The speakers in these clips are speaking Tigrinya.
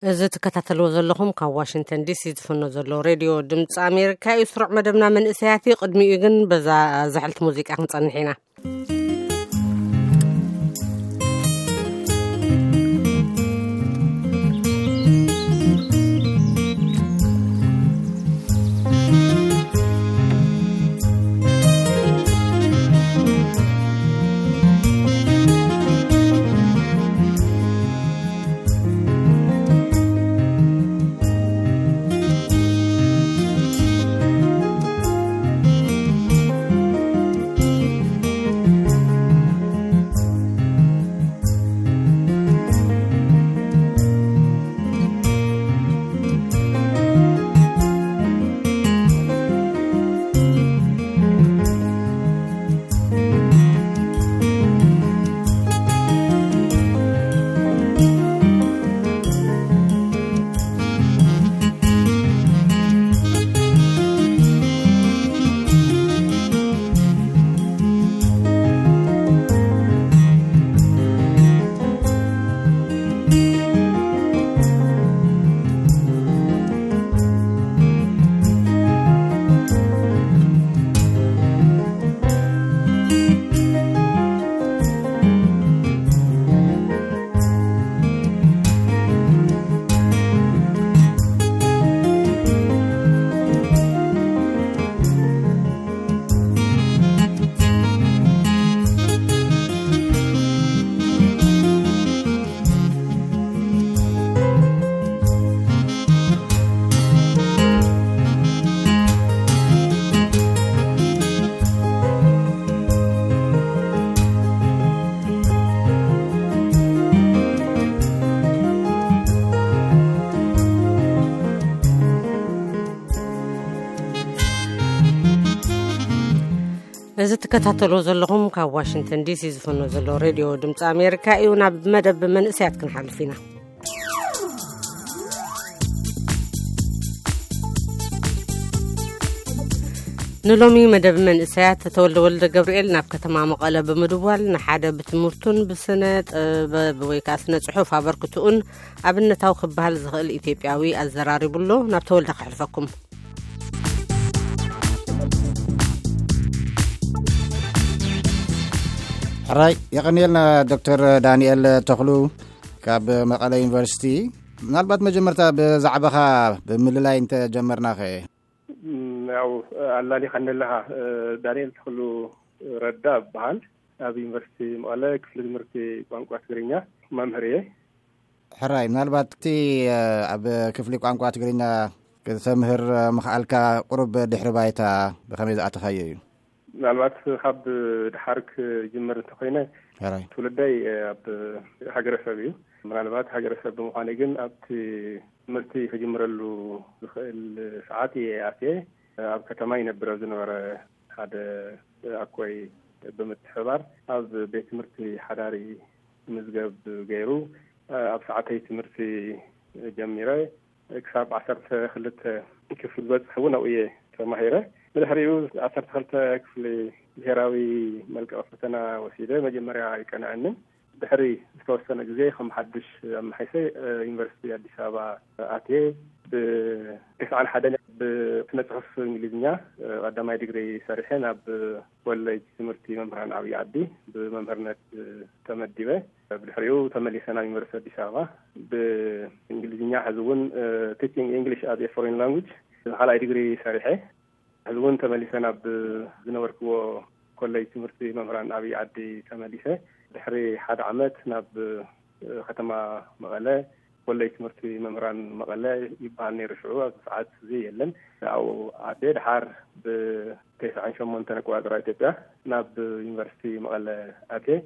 እዚ ትከታተልዎ ዘለኹም ካብ ዋሽንግተን ዲሲ ዝፍኖ ዘሎ ሬድዮ ድምፂ ኣሜሪካ እዩ። ስሩዕ መደብና መንእሰያት እዩ። ቅድሚኡ ግን በዛ ዝሕልቲ ሙዚቃ ክንጸንሕ ኢና። እዚ ትከታተልዎ ዘለኹም ካብ ዋሽንግተን ዲሲ ዝፍኖ ዘሎ ሬድዮ ድምፂ ኣሜሪካ እዩ። ናብ መደብ መንእሰያት ክንሓልፍ ኢና። ንሎሚ መደብ መንእሰያት ተወልደ ወልደ ገብርኤል ናብ ከተማ መቐለ ብምድዋል ንሓደ ብትምህርቱን ብስነ ጥበብ ወይ ከዓ ስነ ጽሑፍ ኣበርክትኡን ኣብነታዊ ክበሃል ዝኽእል ኢትዮጵያዊ ኣዘራሪቡሎ። ናብ ተወልደ ከሕልፈኩም። ሕራይ፣ የቐንየልና ዶክተር ዳንኤል ተኽሉ ካብ መቐለ ዩኒቨርሲቲ። ምናልባት መጀመርታ ብዛዕባኻ ብምልላይ እንተጀመርናኸ? ያው ኣላሊኻ ኣለኻ። ዳንኤል ተኽሉ ረዳ እበሃል። ኣብ ዩኒቨርሲቲ መቐለ ክፍሊ ትምህርቲ ቋንቋ ትግርኛ መምህር እየ። ሕራይ፣ ምናልባት እቲ ኣብ ክፍሊ ቋንቋ ትግርኛ ክተምህር ምኽኣልካ ቁሩብ ድሕሪ ባይታ ብኸመይ ዝኣተኻዮ እዩ? ምናልባት ካብ ድሓር ክጅምር እንተኾይነ፣ ሕራይ። ትውልደይ ኣብ ሃገረሰብ እዩ። ምናልባት ሃገረሰብ ብምዃነይ ግን ኣብቲ ትምህርቲ ክጅምረሉ ዝኽእል ሰዓት እየ ኣትየ። ኣብ ከተማ ይነብር ኣብ ዝነበረ ሓደ ኣኮይ ብምትሕባር ኣብ ቤት ትምህርቲ ሓዳሪ ምዝገብ ገይሩ፣ ኣብ ሰዓተይ ትምህርቲ ጀሚረ ክሳብ ዓሰርተ ክልተ ክፍሊ ዝበፅሕ እውን ኣብኡ እየ ተማሂረ። ብድሕሪኡ ዓሰርተ ክልተ ክፍሊ ብሄራዊ መልቀቂ ፈተና ወሲደ። መጀመርያ ኣይቀንዐንን። ድሕሪ ዝተወሰነ ግዜ ከም ሓድሽ ኣመሓይሰ ዩኒቨርሲቲ ኣዲስ ኣበባ ኣትየ። ብተስዓን ሓደን ብስነ ጽሑፍ እንግሊዝኛ ቀዳማይ ዲግሪ ሰሪሐ ናብ ኮሌጅ ትምህርቲ መምህራን ዓብዪ ዓዲ ብመምህርነት ተመዲበ። ብድሕሪኡ ተመሊሰ ናብ ዩኒቨርሲቲ ኣዲስ ኣበባ ብእንግሊዝኛ፣ ሕዚ እውን ቲቺንግ ኢንግሊሽ ኣዝ ኤ ፎሬን ላንጉጅ ካልኣይ ዲግሪ ሰሪሐ። ሕዚ እውን ተመሊሰ ናብ ዝነበርክዎ ኮሌጅ ትምህርቲ መምህራን ዓብዪ ዓዲ ተመሊሰ። ድሕሪ ሓደ ዓመት ናብ ከተማ መቐለ፣ ኮሌጅ ትምህርቲ መምህራን መቐለ ይበሃል ነይሩ ሽዑ፣ ኣብዚ ሰዓት እዚ የለን። ኣብኡ ኣትየ። ድሓር ብተስዓን ሸሞንተን ኣቆጻጽራ ኢትዮጵያ ናብ ዩኒቨርሲቲ መቐለ ኣትየ።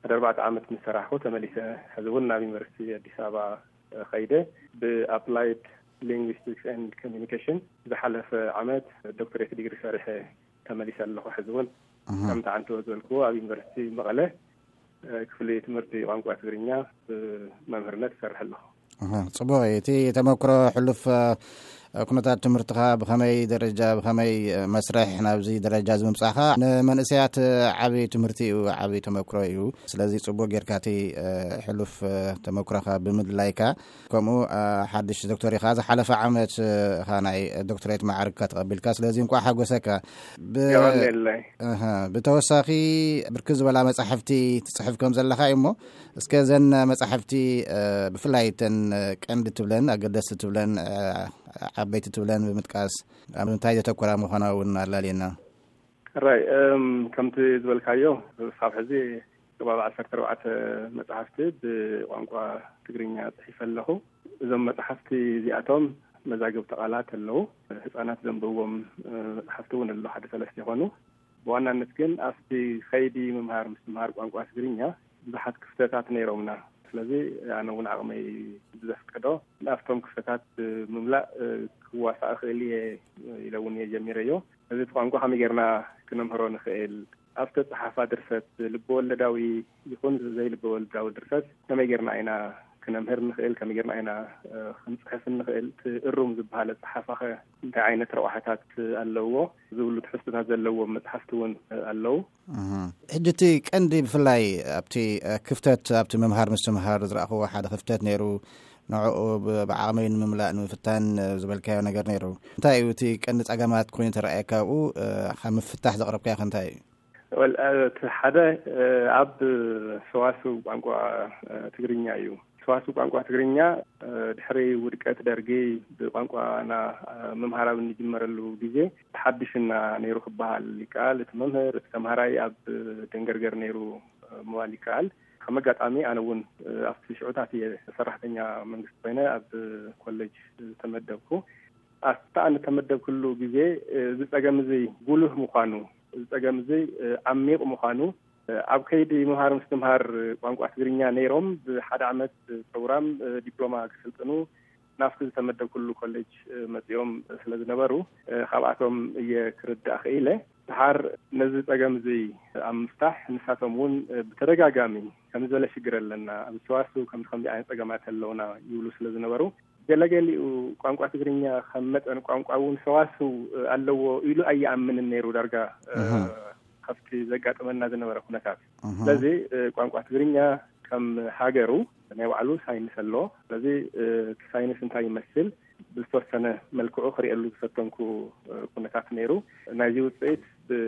ሓደ ኣርባዕተ ዓመት ምስ ሰራሕኩ ተመሊሰ። ሕዚ እውን ናብ ዩኒቨርሲቲ ኣዲስ ኣበባ ከይደ ብኣፕላይድ ሊንግዊስቲክስ ኤንድ ኮሚኒኬሽን ዝሓለፈ ዓመት ዶክተሬት ዲግሪ ሰሪሐ ተመሊሰ ኣለኹ። ሕዚ እውን እህ። ከምቲ ዓንተወ ዝበልክዎ ኣብ ዩኒቨርሲቲ መቐለ፣ እ፣ ክፍሊ ትምህርቲ ቋንቋ ትግርኛ ብመምህርነት እሰርሕ ኣለኹ። እህ፣ ጽቡቕ እዩ። እቲ ተመክሮ ሕሉፍ፣ እ፣ ኩነታት ትምህርትኻ ብኸመይ ደረጃ፣ ብኸመይ መስርሕ ናብዚ ደረጃ እዚ ምምጻእኻ ንመንእሰያት ዓብዪ ትምህርቲ እዩ፣ ዓብዪ ተመክሮ እዩ። ስለዚ ጽቡቕ ጌርካ እቲ ሕሉፍ ተመክሮኻ ብምልላይካ፣ ከምኡ ሓድሽ ዶክተር ኢኻ። ዝሓለፈ ዓመት ኢኻ ናይ ዶክተሬት ማዕርግካ ተቐቢልካ። ስለዚ እንቋዕ ሓጎሰካ። ብ- የቐንየለይ። እህ፣ ብተወሳኺ ብርክት ዝበላ መጻሕፍቲ ትጽሕፍ ከም ዘለኻ እዩ እሞ፣ እስከ ዘን መጻሕፍቲ ብፍላይ እተን ቀንዲ ትብለን፣ ኣገደስቲ ትብለን፣ ዓበይቲ ትብለን ብምጥቃስ ኣብ እንታይ ዘተኮራ ምዃና እውን ኣላልየና። ራይ እም፣ ከምቲ ዝበልካዮ፣ ክሳብ ሕዚ ከባቢ ዓሰርተ ኣርባዕተ መጻሕፍቲ ብቋንቋ ትግርኛ ጽሒፈ ኣለኹ። እዞም መጻሕፍቲ እዚኣቶም መዛግብቲ ቃላት ኣለዉ። ህጻናት ዘንብብዎም መጻሕፍቲ እውን ኣለዉ፣ ሓደ ሰለስተ ይኾኑ። ብዋናነት ግን ኣብቲ ከይዲ ምምሃር ምስትምሃር ቋንቋ ትግርኛ ብዙሓት ክፍተታት ነይሮምና። ስለዚ ኣነ እውን ዓቕመይ ብዘፍቀዶ ናብቶም ክፍተታት ብምምላእ ክዋሳእ እኽእል እየ ኢለ እውን እየ ጀሚረዮ። እዚ እቲ ቋንቋ ከመይ ጌርና ክነምህሮ ንኽእል፣ ኣብ ዝተፅሓፋ ድርሰት፣ ልበወለዳዊ ይኹን ዘይልበወለዳዊ ድርሰት ከመይ ጌርና ኢና ክነምህር ንኽእል፣ ከመይ ጌርና ኢና ክንፅሕፍ ንኽእል፣ እቲ እሩም ዝበሃል ኣፅሓፋኸ እንታይ ዓይነት ረብሓታት ኣለዎ ዝብሉ ትሕዝቶታት ዘለዎም መፅሓፍቲ እውን ኣለዉ። ሕጂ እቲ ቀንዲ ብፍላይ ኣብቲ ክፍተት፣ ኣብቲ ምምሃር ምስትምሃር ዝረእኽዎ ሓደ ክፍተት ነይሩ፣ ንዕኡ ብዓቕመይ ንምምላእ ንምፍታን ዝበልካዮ ነገር ነይሩ። እንታይ እዩ እቲ ቀንዲ ጸገማት ኮይኑ ተረኣየካ? ኣብኡ ካብ ምፍታሕ ዘቕረብካዮ ከ እንታይ እዩ? ወል እቲ ሓደ ኣብ ሰዋስው ቋንቋ ትግርኛ እዩ። ሰዋስው ቋንቋ ትግርኛ ድሕሪ ውድቀት ደርጊ ብቋንቋና ምምሃር ኣብ እንጅመረሉ ግዜ ሓድሽና ነይሩ ክበሃል ይከኣል። እቲ መምህር፣ እቲ ተምሃራይ ኣብ ደንገርገር ነይሩ ምባል ይከኣል። ከም ኣጋጣሚ ኣነ እውን ኣብቲ ሽዑታት እየ ሰራሕተኛ መንግስቲ ኮይነ ኣብ ኮሌጅ ዝተመደብኩ። ኣብቲ ኣነ ተመደብኩሉ ግዜ እዚ ጸገም እዚ ጉሉህ ምዃኑ፣ እዚ ጸገም እዚ ዓሚቕ ምዃኑ፣ ኣብ ከይዲ ምምሃር ምስትምሃር ቋንቋ ትግርኛ ነይሮም ብሓደ ዓመት ፕሮግራም ዲፕሎማ ክስልጥኑ ናብቲ ዝተመደብኩሉ ኮሌጅ መጺኦም ስለ ዝነበሩ፣ ካብኣቶም እየ ክርዳእ ክኢለ። ድሓር ነዚ ጸገም እዚ ኣብ ምፍታሕ ንሳቶም እውን ብተደጋጋሚ ከምዚ ዝበለ ሽግር ኣለና፣ ኣብ ሰዋስው ከምዚ ከምዚ ዓይነት ጸገማት ኣለውና ይብሉ ስለ ዝነበሩ፣ ገለገሊኡ ቋንቋ ትግርኛ ከም መጠን ቋንቋ እውን ሰዋስው ኣለዎ ኢሉ ኣይኣምንን ነይሩ ዳርጋ፣ እህ። ካብቲ ዘጋጠመና ዝነበረ ኩነታት። እህ። ስለዚ ቋንቋ ትግርኛ ከም ሃገሩ ናይ ባዕሉ ሳይንስ ኣለዎ። ስለዚ እቲ ሳይንስ እንታይ ይመስል ብዝተወሰነ መልክዑ ክርእየሉ ዝፈተንኩ ኩነታት ነይሩ። ናይዚ ውፅኢት ብ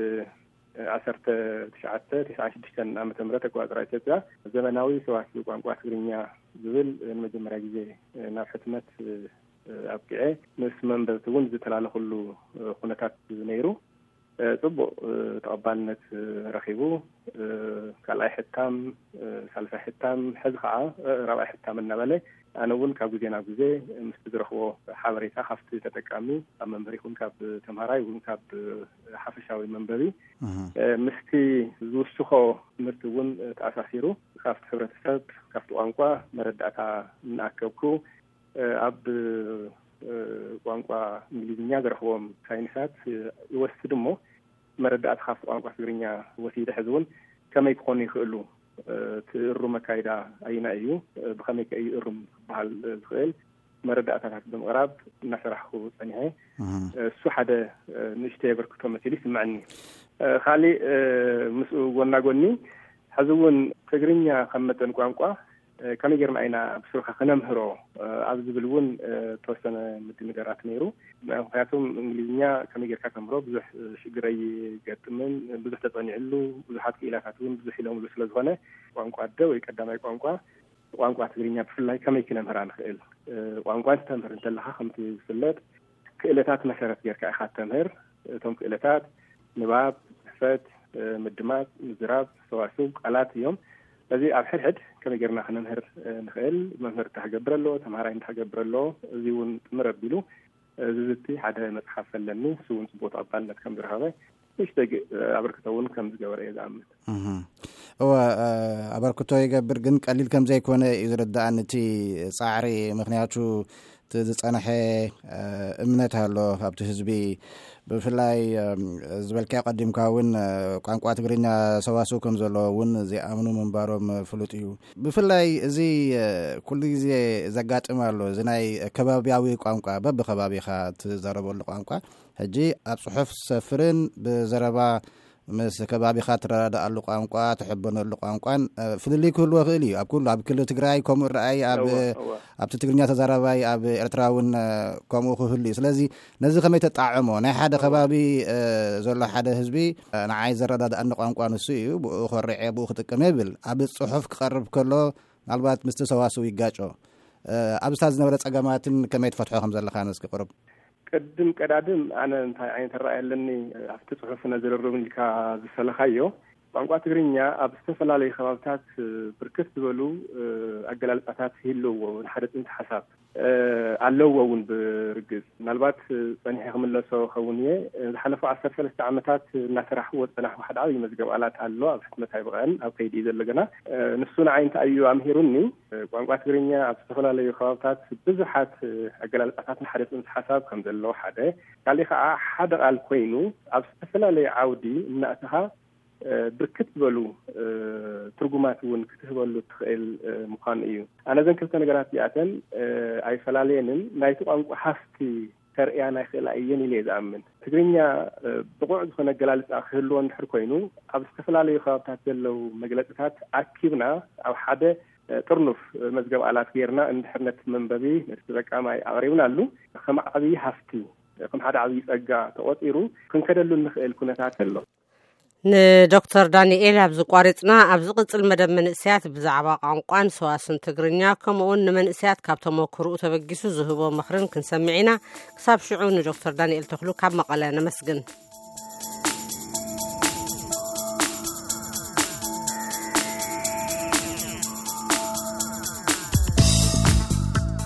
ዓሰርተ ትሽዓተ ተስዓን ሽዱሽተን ዓመተ ምህረት ኣቆጻጽራ ኢትዮጵያ ዘመናዊ ሰዋስው ቋንቋ ትግርኛ ዝብል ንመጀመርያ ግዜ ናብ ሕትመት ኣብቂዐ ምስ መንበብቲ እውን ዝተላለኹሉ ኩነታት ነይሩ። ጽቡቕ ተቐባልነት ረኺቡ፣ ካልኣይ ሕታም፣ ሳልሳይ ሕታም፣ ሕዚ ከዓ ራብዓይ ሕታም እናበለ ኣነ እውን ካብ ግዜ ናብ ግዜ ምስቲ ዝረኽቦ ሓበሬታ ካብቲ ተጠቃሚ፣ ካብ መምህር ይኹን ካብ ተምሃራይ ይኹን ካብ ሓፈሻዊ መንበቢ፣ እህ። ምስቲ ዝውስኾ ትምህርቲ እውን ተኣሳሲሩ ካብቲ ሕብረተሰብ፣ ካብቲ ቋንቋ መረዳእታ እናኣከብኩ፣ ኣብ ቋንቋ እንግሊዝኛ ዝረኽቦም ሳይንሳት ይወስድ እሞ መረዳእታ ካብቲ ቋንቋ ትግርኛ ወሲደ ሕዚ እውን ከመይ ክኾኑ ይኽእሉ፣ እቲ እሩም ኣካይዳ ኣይና እዩ፣ ብኸመይ ከ እዩ እሩም ክበሃል ዝኽእል መረዳእታታት ብምቕራብ እናሰራሕኩ ጸኒሐ። እህ። እሱ ሓደ ንእሽተይ ኣበርክቶ መሲሉ ይስምዐኒ። ካሊእ ምስኡ ጎና ጎኒ ሕዚ እውን ትግርኛ ከም መጠን ቋንቋ ከመይ ጌርና ኢና ብስሩኻ ክነምህሮ ኣብ ዝብል እውን ተወሰነ ምድንጋራት ነይሩ። ምክንያቱም እንግሊዝኛ ከመይ ጌርካ ተምህሮ ብዙሕ ሽግር ኣይገጥምን፣ ብዙሕ ተጸኒዕሉ፣ ብዙሓት ክኢላታት እውን ብዙሕ ኢሎምሉ ስለ ዝኾነ ቋንቋ ኣደ ወይ ቀዳማይ ቋንቋ ቋንቋ ትግርኛ ብፍላይ ከመይ ክነምህራ ንኽእል? ቋንቋ እንተምህር እንተለኻ ከምቲ ዝፍለጥ ክእለታት መሰረት ጌርካ ኢኻ ተምህር። እቶም ክእለታት ንባብ፣ ጽሕፈት፣ ምድማጽ፣ ምዝራብ፣ ሰዋስው፣ ቃላት እዮም። ስለዚ ኣብ ሕድሕድ ከመይ ጌርና ክነምህር ንኽእል፣ መምህር እንታይ ክገብር ኣለዎ፣ ተምሃራይ እንታይ ክገብር ኣለዎ፣ እዚ እውን ጥምር ኣቢሉ ዝዝቲ ሓደ መጽሓፍ ኣለኒ። እሱ እውን ጽቡቕ ተቐባልነት ከም ዝረኸበ ንእሽተይ ግ-፣ ኣበርክቶ እውን ከም ዝገበረ እየ ዝኣምን። እህ። እወ፣ ኣበርክቶ ይገብር፣ ግን ቀሊል ከም ዘይኮነ እዩ ዝርዳእኒ እቲ ጻዕሪ። ምክንያቱ እቲ ዝጸንሐ እምነት ኣሎ ኣብቲ ህዝቢ። ብፍላይ ዝበልካዮ ቀዲምካ እውን ቋንቋ ትግርኛ ሰዋስው ከም ዘለዎ እውን ዘይኣምኑ ምንባሮም ፍሉጥ እዩ። ብፍላይ እዚ ኩሉ ግዜ ዘጋጥም ኣሎ። እዚ ናይ ከባቢያዊ ቋንቋ፣ በብከባቢኻ ትዛረበሉ ቋንቋ ሕጂ ኣብ ጽሑፍ ዝሰፍርን ብዘረባ ምስ ከባቢኻ ትረዳድኣሉ ቋንቋ፣ ትሕበነሉ ቋንቋን ፍልልይ ክህልዎ ይኽእል እዩ። ኣብ ኩሉ፣ ኣብ ክልል ትግራይ ከምኡ ረኣይ፣ ኣብ ኣብቲ ትግርኛ ተዛራባይ ኣብ ኤርትራ እውን ከምኡ ክህሉ እዩ። ስለዚ ነዚ ከመይ ተጣዕሞ? ናይ ሓደ ከባቢ ዘሎ ሓደ ህዝቢ ንዓይ ዘረዳድኣኒ ቋንቋ ንሱ እዩ፣ ብኡ ኮርዐ ብኡ ክጥቀም ይብል። ኣብ ጽሑፍ ክቐርብ ከሎ ምናልባት ምስቲ ሰዋስው ይጋጮ። ኣብዝታ ዝነበረ ጸገማትን ከመይ ትፈትሖ ከም ዘለኻ እስኪ ቅርብ። ቅድም ቀዳድም ኣነ እንታይ ዓይነት ራእይ ኣለኒ ኣብቲ ጽሑፍ ነዝርርብ ኢልካ ዝሰለኻዮ፣ ቋንቋ ትግርኛ ኣብ ዝተፈላለዩ ከባብታት ብርክት ዝበሉ ኣገላልጻታት ይህልዎ። ንሓደ ጽንሰ ሓሳብ ኣለዎ እውን ብርግጽ። ምናልባት ጸኒሐ ክምለሶ ኸውን እየ። ዝሓለፉ ዓሰርተ ሰለስተ ዓመታት እናሰራሕዎ ዝጸናሕኩ ሓደ ዓብዪ መዝገብ ቃላት ኣሎ። ኣብ ሕትመት ኣይበቕዐን፣ ኣብ ከይዲ እዩ ዘሎ ገና። ንሱ ንዓይ እንታይ እዩ ኣምሂሩኒ? ቋንቋ ትግርኛ ኣብ ዝተፈላለዩ ከባብታት ብዙሓት ኣገላልጻታት ንሓደ ጽንሰ ሓሳብ ከም ዘለዎ ሓደ፣ ካሊእ ከዓ ሓደ ቃል ኮይኑ ኣብ ዝተፈላለዩ ዓውዲ እናእተኻ ብርክት ዝበሉ ትርጉማት እውን ክትህበሉ ትኽእል ምዃኑ እዩ። ኣነ እዘን ክልተ ነገራት እዚኣተን ኣይፈላለየንን፣ ናይቲ ቋንቋ ሃፍቲ ከርእያ ናይ ክእላ እየን ኢለ እየ ዝኣምን። ትግርኛ ብቑዕ ዝኾነ ኣገላልጻ ክህልዎ እንድሕር ኮይኑ፣ ኣብ ዝተፈላለዩ ከባብታት ዘለዉ መግለጽታት ኣኪብና ኣብ ሓደ ጥርኑፍ መዝገብ ቃላት ጌርና እንድሕር ነቲ መንበቢ፣ ነቲ ተጠቃማይ ኣቕሪብናሉ፣ ከም ዓብዪ ሃፍቲ፣ ከም ሓደ ዓብዪ ጸጋ ተቖጺሩ ክንከደሉ እንኽእል ኩነታት ኣሎ። ንዶክተር ዳንኤል ኣብዚ ቋሪጽና፣ ኣብ ዝቕጽል መደብ መንእሰያት ብዛዕባ ቋንቋን ሰዋስን ትግርኛ፣ ከምኡውን ንመንእሰያት ካብ ተመክርኡ ተበጊሱ ዝህቦ ምኽርን ክንሰምዕ ኢና። ክሳብ ሽዑ ንዶክተር ዳንኤል ተኽሉ ካብ መቐለ ነመስግን።